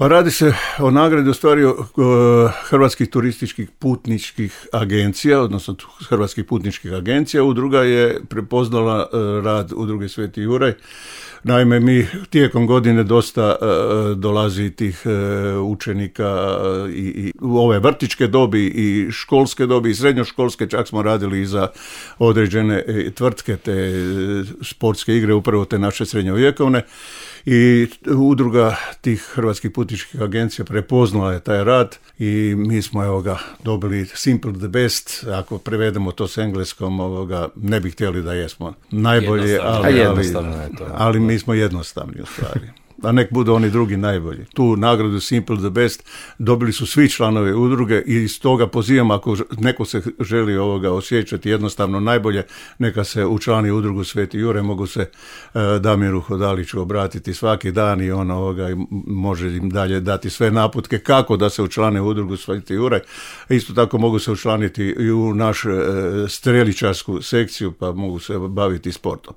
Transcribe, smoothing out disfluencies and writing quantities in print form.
Pa radi se o nagradi u stvari Hrvatskih turističkih putničkih agencija, odnosno Hrvatskih putničkih agencija. Udruga je prepoznala rad Udruge Sveti Juraj. Naime, mi tijekom godine dosta dolazi tih učenika i u ove vrtićke dobi i školske dobi i srednjoškolske, čak smo radili i za određene tvrtke, te sportske igre, upravo te naše srednjovjekovne. I udruga tih Hrvatskih putničkih agencija prepoznala je taj rad i mi smo dobili Simple the Best, ako prevedemo to s engleskom, ne bi htjeli da jesmo najbolje, ali mi smo jednostavni u stvari. A nek budu oni drugi najbolji. Tu nagradu Simple the Best dobili su svi članovi udruge i iz toga pozivam, ako neko se želi osjećati jednostavno najbolje, neka se učlani udrugu Sveti Juraj, mogu se Damiru Hodaliću obratiti svaki dan i on može im dalje dati sve naputke kako da se učlane u udrugu Sveti Juraj. Isto tako mogu se učlaniti i u našu streličarsku sekciju, pa mogu se baviti sportom.